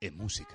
e música.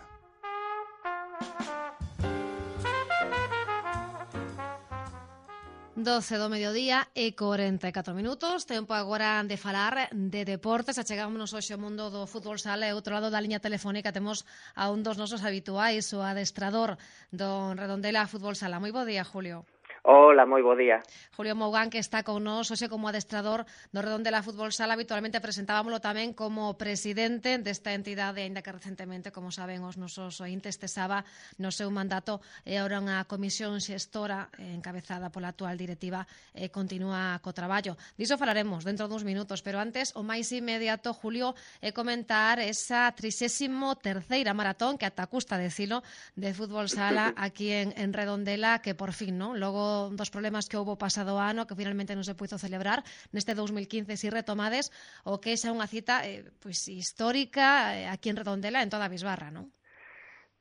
Doce do mediodía e 44 minutos. Tempo agora de falar de deportes. Achegámonos hoxe ao mundo do fútbol sala e outro lado da liña telefónica temos a un dos nosos habituais, o adestrador do Redondela Fútbol Sala. Moi bo día, Julio. Hola, moi bo día. Julio Mougán, que está con nós hoxe como adestrador do Redondela Fútbol Sala. Habitualmente presentábamoslo tamén como presidente desta entidade, aínda que recentemente, como saben os nosos ointes, cesaba no seu mandato e ahora unha comisión xestora encabezada pola actual directiva continúa co traballo. Diso falaremos dentro duns minutos, pero antes o máis inmediato, Julio, é comentar esa 33ª maratón que ata custa decilo de fútbol sala aquí en Redondela, que por fin, non? Logo dos problemas que houbo pasado ano, que finalmente non se puido celebrar neste 2015, si retomades o que xa unha cita pois histórica aquí en Redondela, en toda a Bisbarra, non?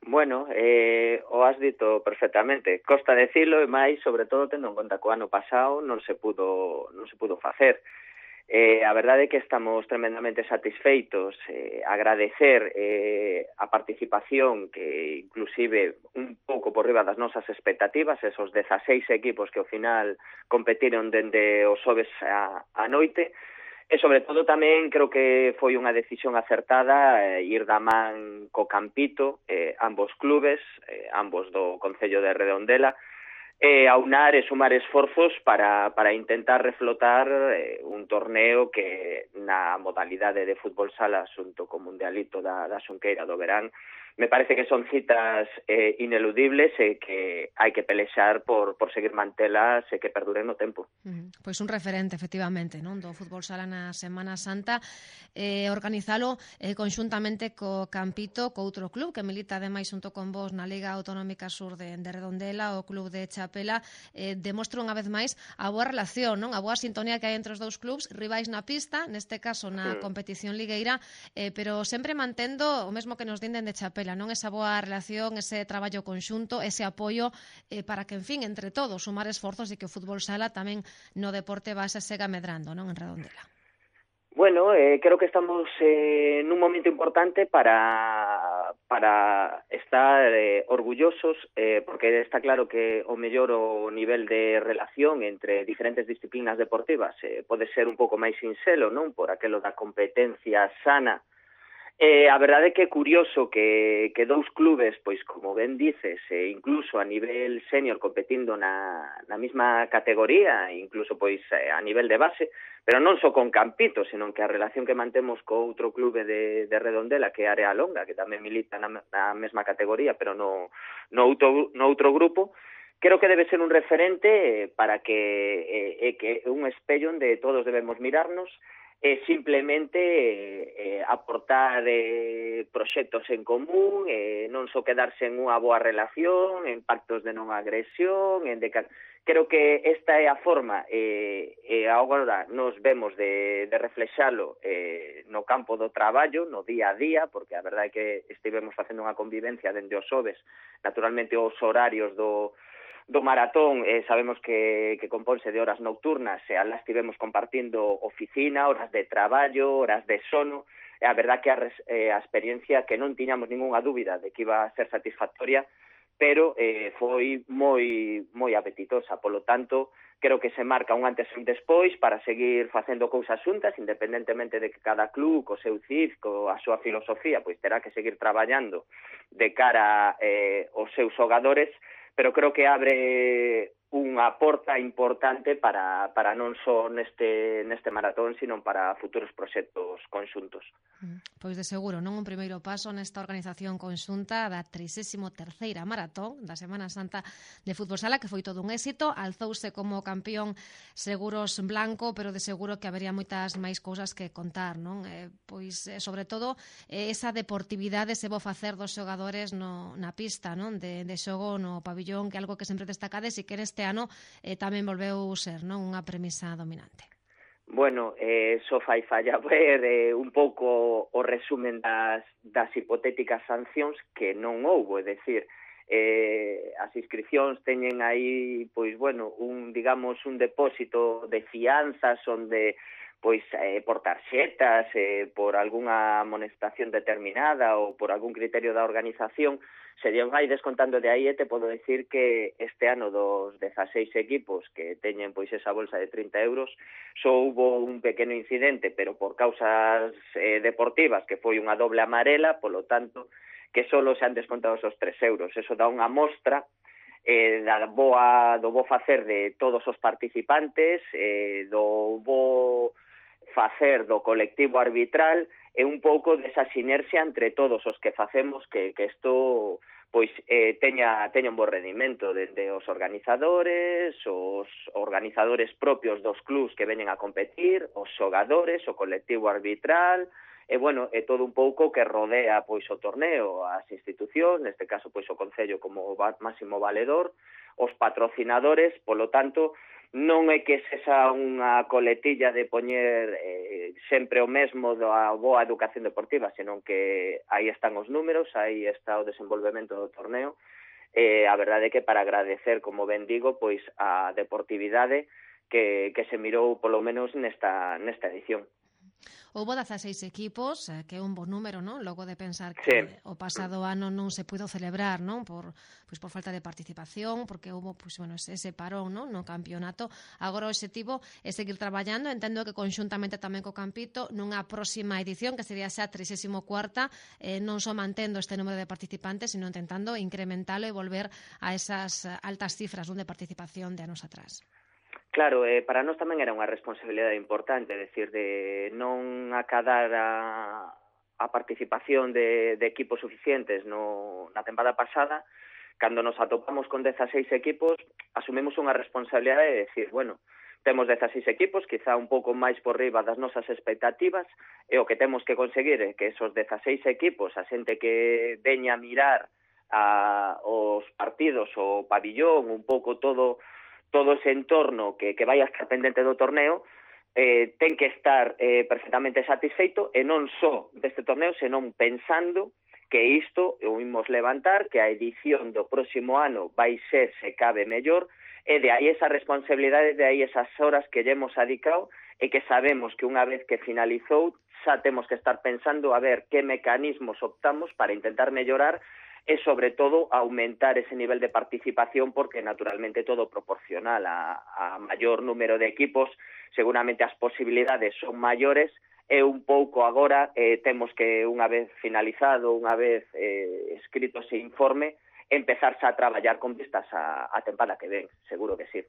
Bueno, o has dito perfectamente. Costa decilo e máis, sobre todo, tendo en conta que o ano pasado non se pudo facer. A verdade é que estamos tremendamente satisfeitos, agradecer a participación que inclusive un pouco por riba das nosas expectativas, esos 16 equipos que ao final competiron dende os xoves a noite, e sobre todo tamén creo que foi unha decisión acertada ir da man co Campito, ambos clubes, ambos do Concello de Redondela, aunar e sumar esforzos para intentar reflotar un torneo que na modalidade de fútbol sala xunto co Mundialito da Xunqueira do verán me parece que son citas ineludibles e que hai que pelexar por seguir mantelas e que perduren no tempo. Pois un referente, efectivamente, non, do fútbol sala na Semana Santa, organizalo conxuntamente co Campito, co outro club que milita ademais xunto con vos na Liga Autonómica Sur de Redondela, o club de Chapela, demostra unha vez máis a boa relación, non, a boa sintonía que hai entre os dous clubs, rivais na pista, neste caso na competición ligueira, pero sempre mantendo o mesmo que nos dinden de Chapela, non, esa boa relación, ese traballo conxunto, ese apoio para que, en fin, entre todos, sumar esforzos e que o fútbol sala tamén no deporte base sega medrando, non, en Redondela. Bueno, creo que estamos nun momento importante para estar orgullosos, porque está claro que o mellor o nivel de relación entre diferentes disciplinas deportivas pode ser un pouco máis sinxelo, non, por aquelo da competencia sana. A verdade é que é curioso que dous clubes, pois como ben dices, incluso a nivel senior competindo na mesma categoría, incluso pois a nivel de base, pero non só con Campito, senón que a relación que mantemos co outro clube de Redondela, que é Área Longa, que tamén milita na mesma categoría, pero no outro grupo, creo que debe ser un referente para que un espello onde todos debemos mirarnos, simplemente aportar proxectos en común, non só quedarse en unha boa relación, en pactos de non agresión, creo que esta é a forma, e agora nos vemos de reflexalo no campo do traballo, no día a día, porque a verdade é que estivemos facendo unha convivencia dende os xoves, naturalmente os horarios do maratón, sabemos que componse de horas nocturnas, e alá estivemos compartindo oficina, horas de traballo, horas de sono, e a verdad que a experiencia que non tiñamos ninguna dúbida de que iba a ser satisfactoria, pero foi moi apetitosa, polo tanto, creo que se marca un antes e un despois para seguir facendo cousas xuntas, independentemente de que cada club, co seu CIF, coa súa filosofía, pois terá que seguir traballando de cara aos seus xogadores, pero creo que abre unha porta importante para non só neste maratón, sino para futuros proxectos conxuntos. Pois de seguro, non, un primeiro paso nesta organización conxunta da 33ª maratón da Semana Santa de fútbol sala, que foi todo un éxito, alzouse como campeón Seguros Blanco, pero de seguro que habería moitas máis cousas que contar, non? Pois, sobre todo, esa deportividade se bo facer dos xogadores na pista, non? De xogo no pabillón, que é algo que sempre destacades e que neste ano tamén volveu ser, non, unha premisa dominante. Bueno, só fai falla ver un pouco o resumen das hipotéticas sancións que non houbo, é dicir, as inscripcións teñen aí, pois, bueno, un depósito de fianzas onde pois por tarxetas, por algunha amonestación determinada ou por algún criterio da organización, se vai descontando de aí, e te podo decir que este ano dos 16 equipos que teñen pois esa bolsa de 30 euros, só hubo un pequeno incidente, pero por causas deportivas, que foi unha doble amarela, polo tanto, que só se han descontado esos 3 euros. Eso dá unha mostra do bo facer de todos os participantes, do bo facer do colectivo arbitral, e un pouco desa sinerxia entre todos os que facemos que isto pois teña un bo rendimento, dende os organizadores propios dos clubs que veñen a competir, os xogadores, o colectivo arbitral, e bueno, é todo un pouco que rodea pois o torneo, as institucións, neste caso pois o Concello como máximo valedor, os patrocinadores, polo tanto, non é que sexa unha coletilla de poñer sempre o mesmo da boa educación deportiva, senón que aí están os números, aí está o desenvolvemento do torneo, a verdade é que para agradecer, como ben digo, pois a deportividade que se mirou polo menos nesta edición. Houbo 16 equipos, que é un bo número, non? Logo de pensar que sí. O pasado ano non se puido celebrar, non? Por falta de participación, porque houbo ese parón, non? No campeonato. Agora o obxectivo é seguir traballando, entendo que conxuntamente tamén co Campito, nunha próxima edición, que sería xa 34ª, non só mantendo este número de participantes, sino intentando incrementalo e volver a esas altas cifras de participación de anos atrás. Claro, para nós tamén era unha responsabilidade importante, decir, de non acadar a participación de equipos suficientes na tempada pasada. Cando nos atopamos con 16 equipos, asumimos unha responsabilidade de decir, bueno, temos 16 equipos, quizá un pouco máis por riba das nosas expectativas, e o que temos que conseguir é que esos 16 equipos, a xente que veña a mirar os partidos, o pabillón, un pouco todo ese entorno que vai a estar pendente do torneo, ten que estar perfectamente satisfeito, e non só deste torneo, senón pensando que isto o imos levantar, que a edición do próximo ano vai ser, se cabe, mellor, e de aí esa responsabilidade, de aí esas horas que lle hemos adicado, e que sabemos que unha vez que finalizou, xa temos que estar pensando a ver que mecanismos optamos para intentar mellorar e, sobre todo, aumentar ese nivel de participación, porque, naturalmente, todo proporcional a maior número de equipos, seguramente as posibilidades son maiores, e un pouco agora temos que, unha vez finalizado, unha vez escrito ese informe, empezarse a traballar con vistas a tempada que ven, seguro que sí.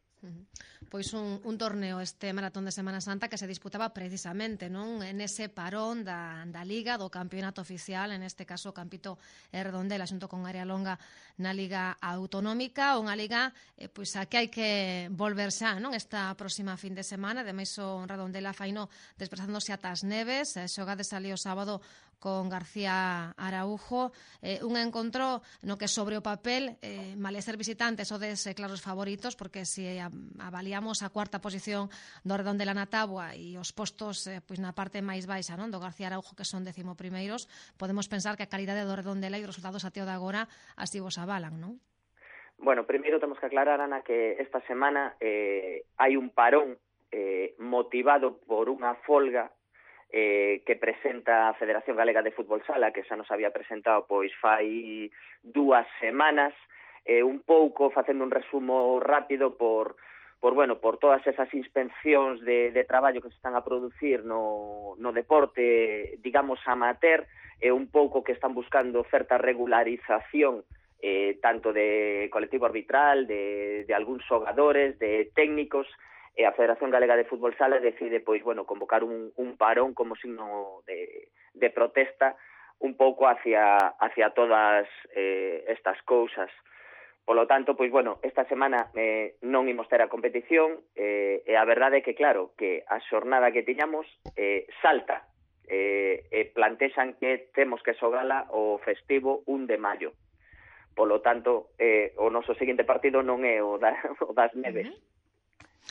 Pois un torneo, este Maratón de Semana Santa, que se disputaba precisamente, non, en ese parón da Liga, do campeonato oficial, en este caso o Campito e Redondela xunto con Área Longa na Liga Autonómica, unha liga pois a que hai que volver xa, non, esta próxima fin de semana. Ademais o Redondela faino desplazándose ata as Neves, xogades ali o sábado con García Araujo, un encontro no que sobre o papel, male ser visitantes sodes claros favoritos, porque se avaliamos a cuarta posición do Redondela na táboa e os postos pois na parte máis baixa, non, do García Araujo, que son 11º, podemos pensar que a calidade do Redondela e os resultados até o de agora así vos avalan, non? Bueno, primeiro temos que aclarar, Ana, que esta semana hai un parón motivado por unha folga que presenta a Federación Galega de Fútbol Sala, que xa nos había presentado pois fai 2 semanas, un pouco facendo un resumo rápido por todas esas inspeccións de traballo que se están a producir no deporte, digamos, amateur, e un pouco que están buscando certa regularización tanto de colectivo arbitral, de algúns xogadores, de técnicos, e a Federación Galega de Fútbol Sala decide convocar un parón como signo de protesta un pouco hacia todas estas cousas. Polo tanto, esta semana non imos ter a competición, e a verdade é que, claro, que a xornada que tiñamos salta, e plantexan que temos que xogala o festivo 1 de maio. Polo tanto, o noso seguinte partido non é o das Neves.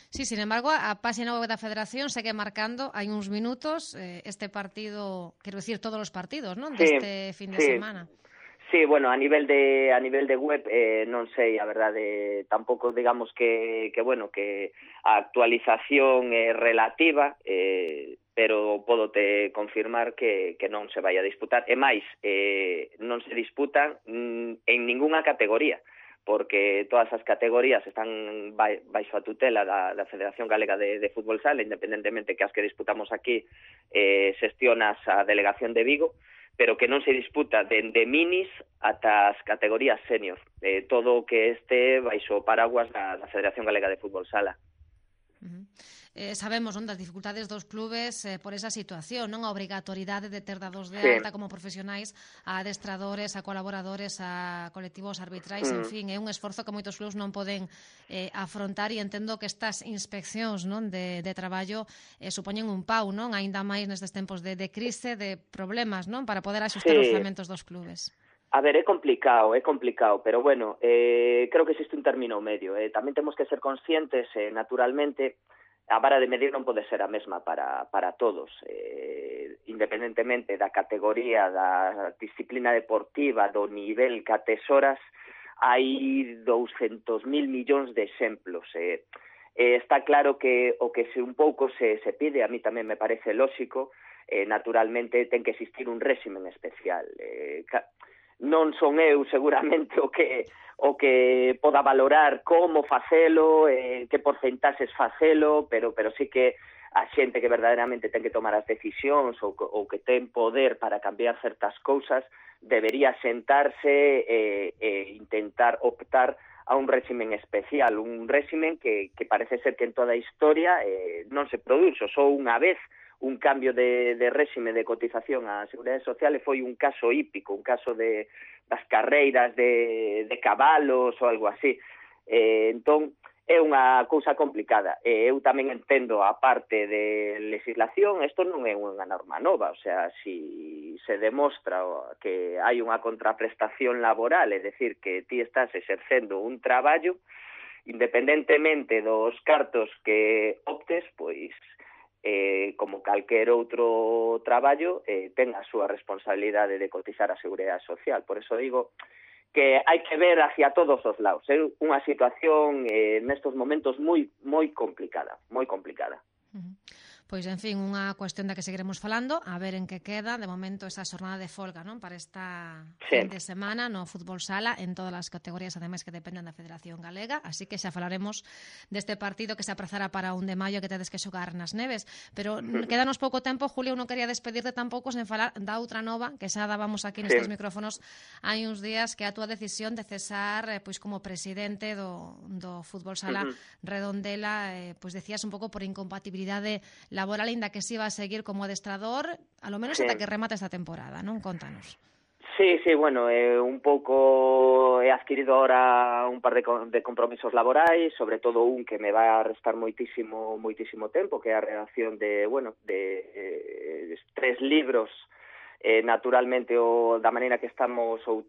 Sí, sin embargo, a página web da Federación segue marcando, hai uns minutos, este partido, quero dicir, todos os partidos, non? Deste fin de semana. Sí, bueno, a nivel de web non sei, a verdade, tampouco digamos que a actualización é relativa, pero podote confirmar que non se vai a disputar. E máis, non se disputan en ningunha categoría, porque todas as categorías están baixo a tutela da Federación Galega de Fútbol Sala, independentemente que as que disputamos aquí xestionas a Delegación de Vigo, pero que non se disputa dende minis ata as categorías senior, todo o que este baixo o paraguas da Federación Galega de Fútbol Sala. Sabemos das dificultades dos clubes por esa situación, non a obrigatoriedade de ter dados de alta como profesionais a adestradores, a colaboradores, a colectivos arbitrais, en fin, é un esforzo que moitos clubes non poden afrontar, e entendo que estas inspeccións, non, de traballo supoñen un pau, non, aínda máis nestes tempos de crise, de problemas, non, para poder axustar os orzamentos dos clubes. A ver, é complicado, pero bueno, creo que existe un término medio. Tamén temos que ser conscientes, naturalmente, a vara de medir non pode ser a mesma para todos, independentemente da categoría, da disciplina deportiva, do nivel que atesoras, hai 200.000 millóns de exemplos. Está claro que o que un pouco se pide, a mí tamén me parece lóxico, naturalmente ten que existir un réximen especial. Non son eu seguramente o que poda valorar como facelo, que porcentaxes facelo, pero sí que a xente que verdadeiramente ten que tomar as decisións ou que ten poder para cambiar certas cousas debería sentarse e intentar optar a un réximen especial, un réximen que parece ser que en toda a historia non se produxo, só unha vez un cambio de réxime de cotización á Seguridade Social e foi un caso hípico, un caso das carreiras de cabalos ou algo así. Entón, é unha cousa complicada. Eu tamén entendo a parte de legislación, isto non é unha norma nova, o sea, si se demostra que hai unha contraprestación laboral, é dicir, que ti estás exercendo un traballo, independentemente dos cartos que optes, pois como calquer outro traballo, ten a súa responsabilidade de cotizar a Seguridade Social. Por eso digo que hai que ver hacia todos os lados. É unha situación nestos momentos moi complicada, moi complicada. Pois, en fin, unha cuestión da que seguiremos falando, a ver en que queda. De momento, esa xornada de folga, non, para esta fin de semana no fútbol sala, en todas as categorías, ademais, que dependen da Federación Galega, así que xa falaremos deste partido que se aprazará para 1 de maio, que tedes que xogar nas Neves. Pero quédanos pouco tempo, Julio, non quería despedirte tampouco sen falar da outra nova, que xa dábamos aquí nestes micrófonos hai uns días, que é a túa decisión de cesar pois como presidente do fútbol sala Redondela, pois decías un pouco por incompatibilidade laboral, ainda que se iba a seguir como adestrador, a lo menos ata que remate esta temporada, non? Contanos. Sí, bueno, un pouco he adquirido ahora un par de compromisos laborais, sobre todo un que me va a restar moitísimo tempo, que é a redacción de 3 libros, naturalmente da maneira que estamos ou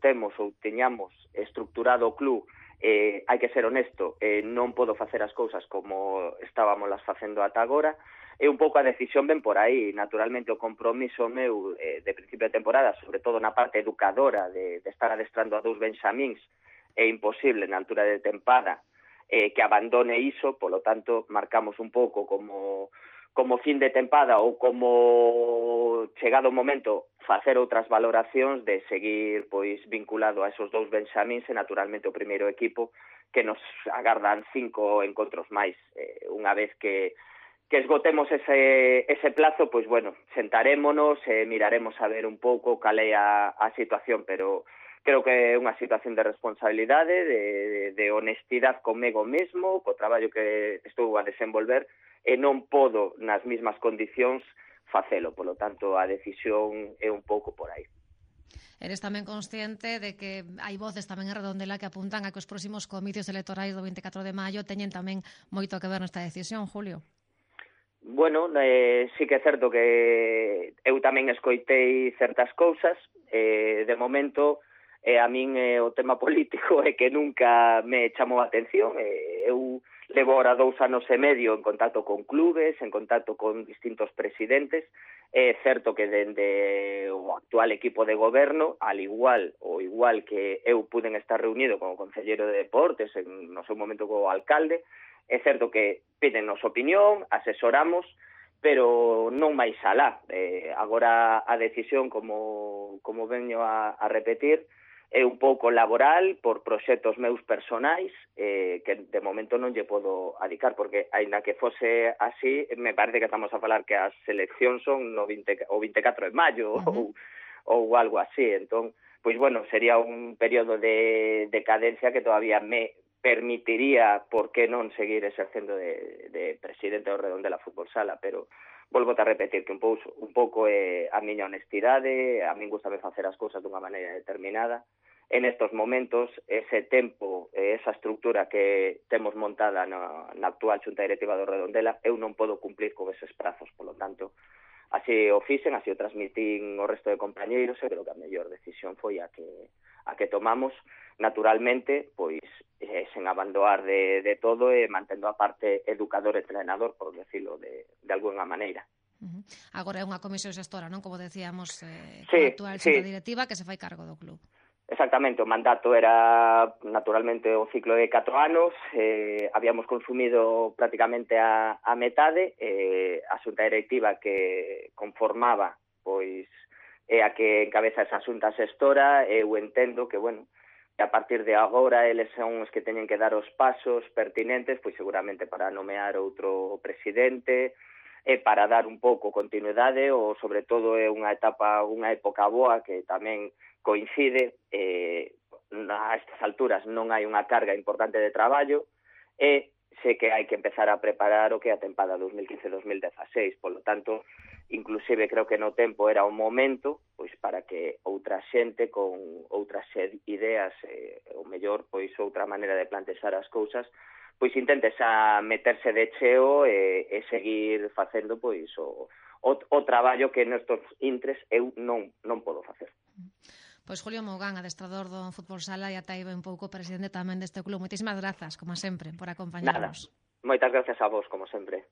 teñamos estructurado o club. Hai que ser honesto, non podo facer as cousas como estábamos las facendo ata agora. É un pouco a decisión ben por aí. Naturalmente o compromiso meu de principio de temporada, sobre todo na parte educadora de estar adestrando a 2 benxamíns, é imposible na altura de tempada que abandone iso, polo tanto marcamos un pouco como fin de tempada ou como chegado o momento facer outras valoracións de seguir pois vinculado a esos 2 benxamíns e naturalmente o primeiro equipo, que nos agardan 5 encontros máis. Unha vez que esgotemos ese plazo, pois bueno, sentarémonos e miraremos a ver un pouco cal é a situación, pero creo que é unha situación de responsabilidade, de honestidade comigo mesmo, co traballo que estou a desenvolver, e non podo nas mismas condicións facelo, polo tanto a decisión é un pouco por aí. Eres tamén consciente de que hai voces tamén en Redondela que apuntan a que os próximos comicios electorais do 24 de maio teñen tamén moito que ver nesta decisión, Julio? Bueno, sí que é certo que eu tamén escoitei certas cousas. De momento, a min o tema político é que nunca me chamou a atención. Eu levo ahora 2 anos e medio en contacto con clubes, en contacto con distintos presidentes. É certo que dende o actual equipo de goberno, igual que eu puden estar reunido con o Concelleiro de Deportes, no seu momento co alcalde, é certo que pídennos opinión, asesoramos, pero non máis alá. Agora a decisión, como veño a repetir, é un pouco laboral por proxectos meus personais que de momento non lle podo adicar, porque aínda que fose así, me parece que estamos a falar que as seleccións son o 24 de maio ou algo así. Entón, pois bueno, sería un período de decadencia que todavía me permitiría, por que non, seguir exercendo de presidente do Redondela Fútbol Sala, pero volvo a repetir que un pouco é a miña honestidade. A min gustame facer as cousas dunha maneira determinada. En estos momentos, ese tempo, esa estructura que temos montada na actual xunta directiva do Redondela, eu non podo cumplir con eses prazos, polo tanto, así o fixen, así o transmitín ao resto de compañeiros, e creo que a mellor decisión foi a que tomamos, naturalmente, pois sen abandoar de todo e mantendo a parte educador e entrenador, por decirlo de alguna maneira. Agora é unha comisión xestora, non? Como decíamos, sí, a actual xunta directiva que se fai cargo do club. Exactamente, o mandato era naturalmente o ciclo de 4 anos, habíamos consumido prácticamente a metade, a xunta directiva que conformaba, pois, é a que encabeza esa xunta xestora. Eu entendo que, bueno, a partir de agora eles son os que teñen que dar os pasos pertinentes, pois seguramente para nomear outro presidente, e para dar un pouco continuidade, ou sobre todo é unha época boa que tamén coincide, a estas alturas non hai unha carga importante de traballo, e sei que hai que empezar a preparar o que é a tempada 2015-2016, polo tanto, inclusive creo que no tempo era un momento pois para que outra xente con outras ideas, ou mellor, pois outra maneira de plantexar as cousas, pois intentes a meterse de cheo e seguir facendo pois o traballo que nestos intres eu non podo facer. Pois Julio Mougán, adestrador do Fútbol Sala, e ata aí un pouco presidente tamén deste club. Moitísimas grazas, como sempre, por acompañarnos. Nada, moitas grazas a vos, como sempre.